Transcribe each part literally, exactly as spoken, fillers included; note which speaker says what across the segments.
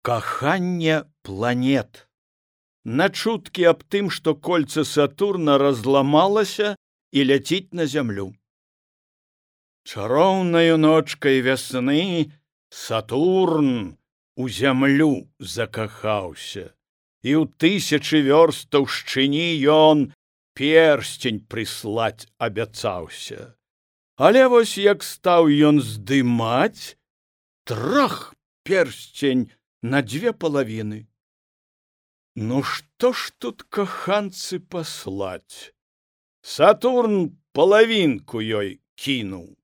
Speaker 1: Каханне планет. На чуткі аб тым, што кольца Сатурна разламалася і ляціць на зямлю. Чароўнаю ночкай вясны Сатурн у зямлю закахаўся, і ў тысячы вёрст таўшчыні ён персцень прыслаць абяцаўся. Але вось як стаў ён здымаць, трах, персцень на дзве палавіны. Ну што ж тут каханцы паслаць? Сатурн палавінку ёй кінуў.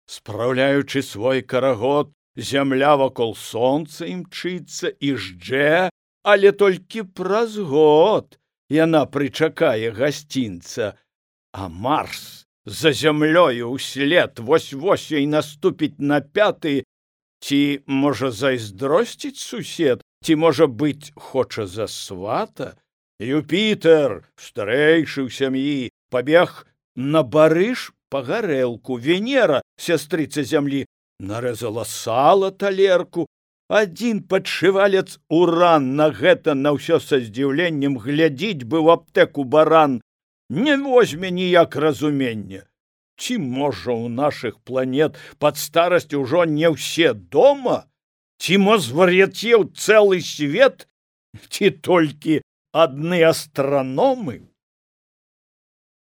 Speaker 1: Спраўляючы свой карагод, зямля вакол сонца імчыцца і ждзе, але толькі праз год яна прычакае гасцінца, а Марс за зямлёю ўслед вось-вось ёй наступіць на пяты. Ці, можа, зайздросціць сусед, ці, можа быць, хоча за свата? Юпітер, старэйшы ў сям'і, пабег на барыш па гарэлку. Венера, сястрыца зямлі, нарэзала сала талерку. Адзін падшывалец Уран на гэта на ўсё са здзіўленнем глядзіць бы ў аптэку баран. Не возьме ніяк разумення. Ці, можа, у нашых планет пад старасць ужо не ўсе дома? Ці, мо, звар'яцеў цэлы свет? Ці толькі адны астраномы?